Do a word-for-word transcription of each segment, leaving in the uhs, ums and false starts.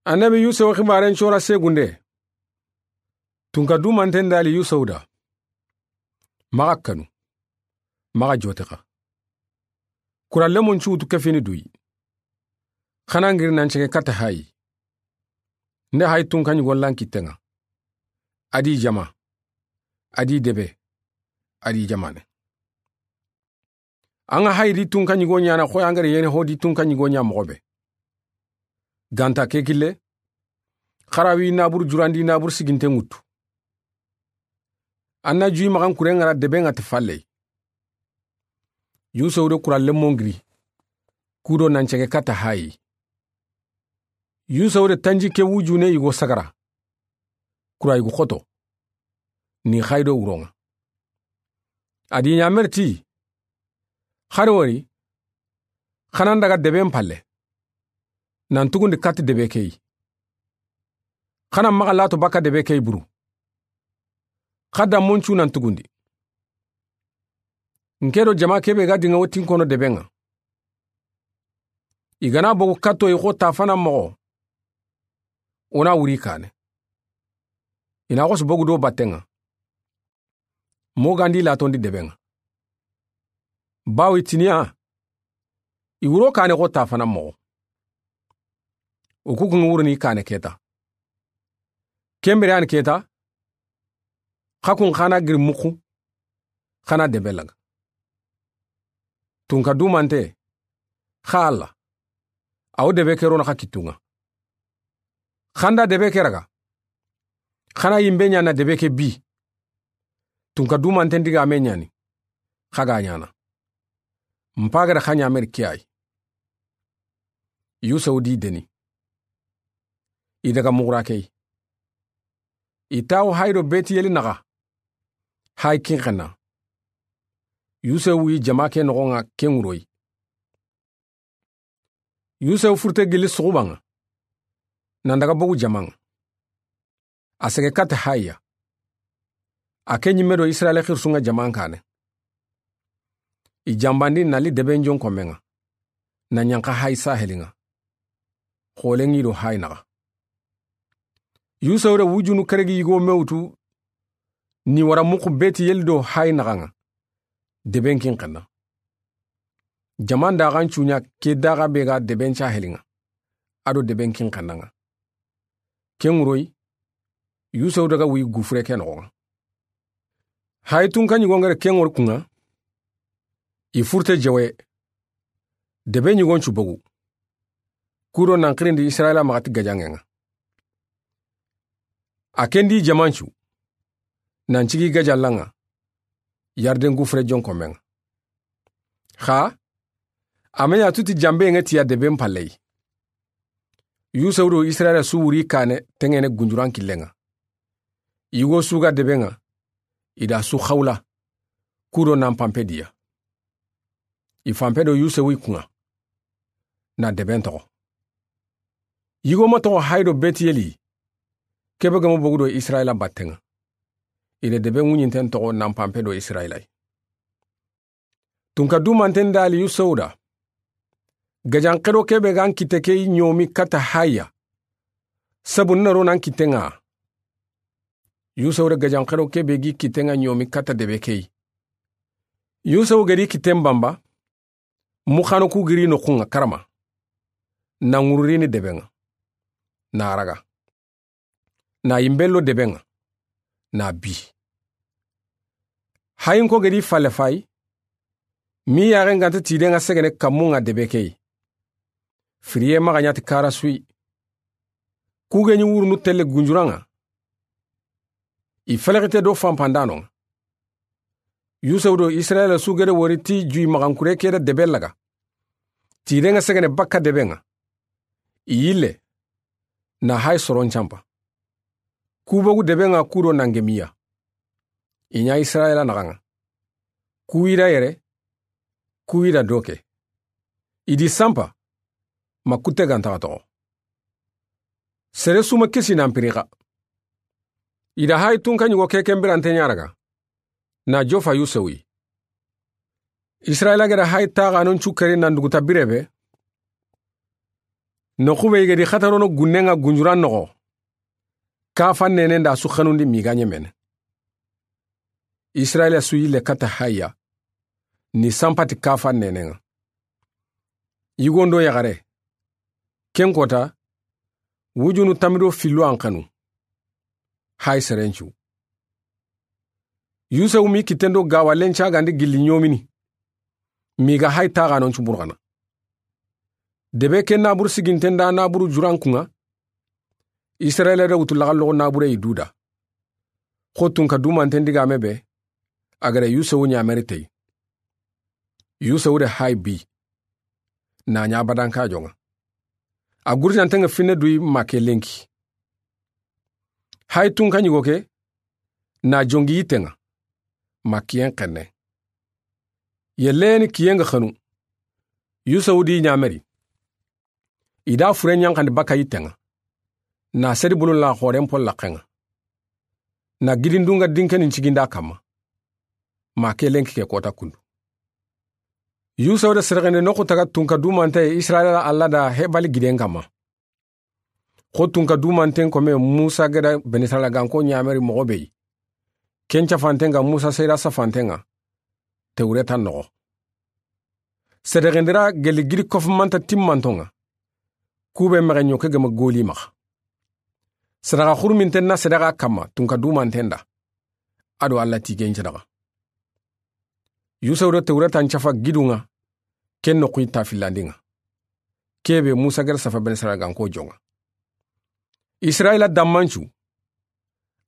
Annabi Yusufu xibaaren cora segunde. Tunka dumanten dali Yusufu da. Maxa kanu. Maxa jotexa. Kura lemon cuutu kefini duyi. Xana ngiri nan cege kata hayi. Nde hayi tunka ɲigon lan kitten ŋa. A di jama. A di debe. A di jamane. An ga hayi di tunka ɲigo ɲana xoyi an ga da yene ho di tunka ɲigo ɲa moxo be. Ganta ke kille. Xarawi nabur jurandi nabur siginte ŋuttu. An na juyi maxan kuren ŋa ra debe ŋa ti falley. Yusufu de kura lemon giri. Kudo nan cege kata hayi. Yusufu de tanji ke wujune yigo sagara. Kura yigu xoto. Ni xayi do wuron ŋa. A di ɲamerti. Xari wori. Xana n daga deben palle. Nan tugundi kati debe keyi. Xana maxa lato baka debe keyi buru. Xa damon cu nan tugundi. N ke do jama kebe ga dinga wotin kono debe ŋa. I gana bogu katto i xo tafana moxo. Wona wuri kane. I na xosi bogu do batten ŋa. Mo gandi latondi debe ŋa. Bawo i tiniya. I wuro kane xo tafana moxo. O kukun wuruni kane keta. Kembere an keta. Xa kun xana giri muxu. Xana debe laga. Tunka dumante. Xa Alla. Aw debe ke rona xa kittunŋa. Xanda debe ke raga. Xana yimbe ɲana debe ke bi. Tunka dumanten diga me ɲani. Xa ga ɲana. Mpagada xa ɲameri ke ayi. Yusufu di deni. I daga muxura keyi. I tawo hayi do Betiyeli naxa. Hayi kin xenna. Yusufu wi jama ke noxon ŋa ken wuroyi. Yusufu furte gilli suxuban ŋa. Nan daga bogu jaman ŋa. A sege kata hayi ya. A ke ɲimme do Israyila xirisun ŋa jaman kane. I jambandi nali deben jon komen ŋa. Na ɲanxa hayi sahelin ŋa. Xolen ŋi do hayi naxa. Yusufu da wujunu keregi yigo mewtu. Ni wara muxu Betiyeli do hayi naxan ŋa. Deben kin xenna. Jaman daxan cuɲa ke daxa be ga deben cahelin ŋa. A do deben kin xennan ŋa. Ken wuroyi. Yusufu daga wi gufure ke noxon ŋa. Hayi tunka ɲigon ga da ken wori kun ŋa. I furte jewe. Debe ɲigon cu bogu. Kudo nan xirindi Israyila maxa ti gajanŋen ŋa. A kendi jaman cu. Nan cigi gajallan ŋa. Yarden gufure jon komen ŋa. Xa. A me ɲa tuti jambe ŋa tiya deben palleyi. Yusufu do Israyila su wuri kane tengene gunjuran killen ŋa. Yigo su ga debe ŋa. I da su xawla. Kudo nan pampe diya. I fampe do Yusufu i kun ŋa. Na deben toxo. Yigo ma toxo hayi do Betiyeli. Kebe gamo bogu do Israyila batten ŋa. I da deben ŋuɲinten toxo nan pampe do Israyila yi. Tunka dumanten dali Yusufu da. Gajan xedo kebe gan kitte keyi ɲomi kata hayi ya. Sabu na ro nan kitten ŋa. Yusufu da gajan xedo kebe gi kitten ŋa ɲomi kata debe keyi. Yusufu gedi kitten bamba. Muxano ku giri noxun ŋa karama. Na ŋururini deben ŋa. Na raga. Na yimbello deben ŋa. Na bi. Hayin ko gedi falle fayi. Mi yaxen ganta tiden ŋa segene kammun ŋa debe keyi. Firiye maxa ɲa ti kara suyi. Ku ge ɲi wurunu telle gunjuran ŋa. I felexite do fanpandanon ŋa. Yusufu do Israyila su gede wori ti juyi maxankure ke da debe laga. Tiden ŋa segene bakka deben ŋa. I yille. Na hayi soron campa. Ku bogu deben ŋa kudo nan gemiya. I ɲa Israyila naxan ŋa. Ku yi da yere. Ku yi da doke. I di sampa. Ma kutte gantaxa toxo. Sere su ma kisi nan pirixa. I da hayi tunka ɲigo ke kembirante ɲaraga. Na jofa Yusufu yi. Israyila gada hayi taxanon cu keri nan duguta bire be. Noxu be i ga di xatarono gunnen ŋa gunjuran noxo, kafa neenen da su xanundi miga ɲemen. Israyila su yille kata haya, ni sanpati kafa neenen ŋa. Yigondo yaxare, ken kota, wujunu tamido fillo an xanu. Hay serencu. Yusufu mi kitendo gawalen cagandi gilli ɲomini. Miga hay taxanon cu burxana. Debe ke naburu siginten da naburu jurankunŋa. Israyila da wutu laxalloxo nabure i duda. Xo tunka dumanten digame be, a gada Yusufu ɲameri tey. Yusufu de hay bi. Na ɲa badanka jonŋa. A gurjanten ŋa finne duyi ma ke lenki. Hay tunka ɲigo ke, na jongi yitten ŋa. Ma kiyen xenne. Yelleni kiyen ga xanu. Yusufu di ɲameri. I da fure ɲanxandi baka yitten ŋa. Na sedi bulun la xoren pol laxen ŋa. Na gidindun ŋa dinkenin ciginda kamma. Ma ke lenki ke kota kundu. Yusufu da serexende noxu taga tunka dumante Israyila Alla da hebali giden kamma. Xo tunka dumanten kome Musa gada Beni Israyila ganko ɲameri moxo be yi. Ken cafanten ŋa Musa seyra safanten ŋa. Tewretan noxo. Serexendira geli gidi kofumanta timmanton ŋa. Kube mexe ɲoke gema goli maxa. Sadaxa xuruminten na sadaxa kamma tunka dumanten da. A do Alla tigen sadaxa. Yusufu da Tewretan cafa gidun ŋa. Ken noxu i ta fillandin ŋa. Kebe Musa gada safa Beni Israyila ganko jonŋa. Israyila dammancu.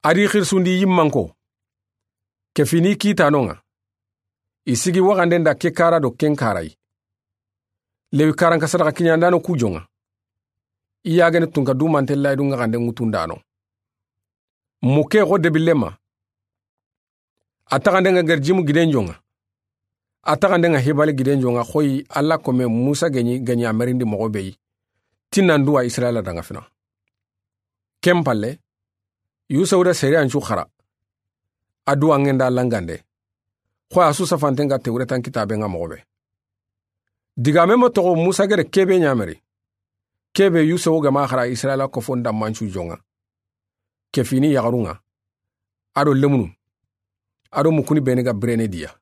A di xirisundi yimmanko. Ke fini kitanon ŋa. I sigi waxanden da ke kara do ken karayi. Lewi karanka sadaxa kiɲandano ku jonŋa. I yagene tunka dumante laydun ŋa xande ŋutundano. Muke xo debillema. A taxanden ŋa garjimu giden jonŋa. A taxanden ŋa hibali giden jonŋa xoyi Alla kome Musa geɲi geɲi a merindi moxo be yi. Tinnan duwa Israyila danŋa fina. Ken palle, Yusufu da sariyan cu xara. A duwa ŋenda langande. Xoyi a su safanten ŋa Tewretan kitaben ŋa moxo be. Digame ma toxo Musa gada kebe ɲameri. Kebe Yusufu gama xara Israyila kofon dammancu jonŋa. Ke fini yaxarun ŋa. A do lemunu. A do mukuni beni ga birene diya.